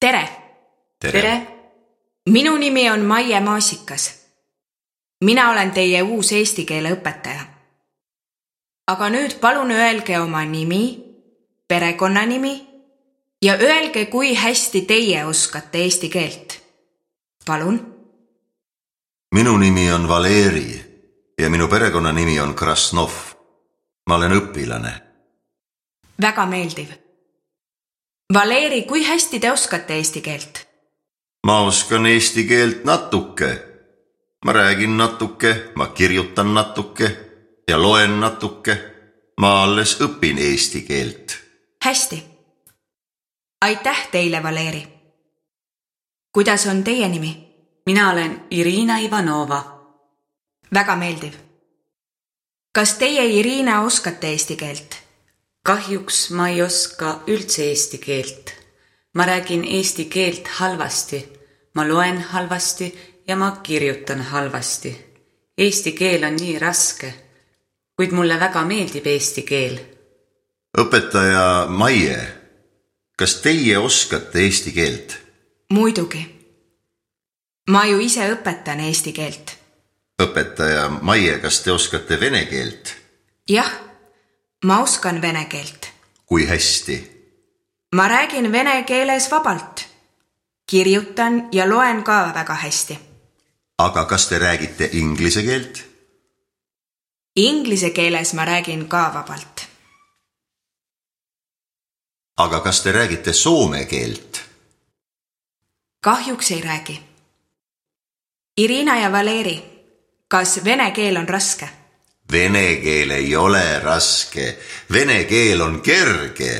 Tere! Tere! Minu nimi on Maie Maasikas. Mina olen teie uus eesti keele õpetaja. Aga nüüd palun öelge oma nimi, perekonnanimi ja öelge, kui hästi teie oskate eesti keelt. Palun. Minu nimi on Valeri ja minu perekonnanimi on Krasnov. Ma olen õpilane. Väga meeldiv. Valeri, kui hästi te oskate eesti keelt? Ma oskan eesti keelt natuke. Ma räägin natuke, ma kirjutan natuke ja loen natuke. Ma alles õpin eesti keelt. Hästi. Aitäh teile, Valeri. Kuidas on teie nimi? Mina olen Irina Ivanova. Väga meeldiv. Kas teie, Irina, oskate eesti keelt? Kahjuks ma ei oska üldse eesti keelt. Ma räägin eesti keelt halvasti. Ma loen halvasti ja ma kirjutan halvasti. Eesti keel on nii raske, kuid mulle väga meeldib eesti keel. Õpetaja Maie, kas teie oskate eesti keelt? Muidugi. Ma ju ise õpetan eesti keelt. Õpetaja Maie, kas te oskate vene keelt? Jah, ma oskan vene keelt. Kui hästi? Ma räägin vene keeles vabalt. Kirjutan ja loen ka väga hästi. Aga kas te räägite inglise keelt? Inglise keeles ma räägin ka vabalt. Aga kas te räägite soome keelt? Kahjuks ei räägi. Irina ja Valeri, kas vene keel on raske? Vene keel ei ole raske. Vene keel on kerge.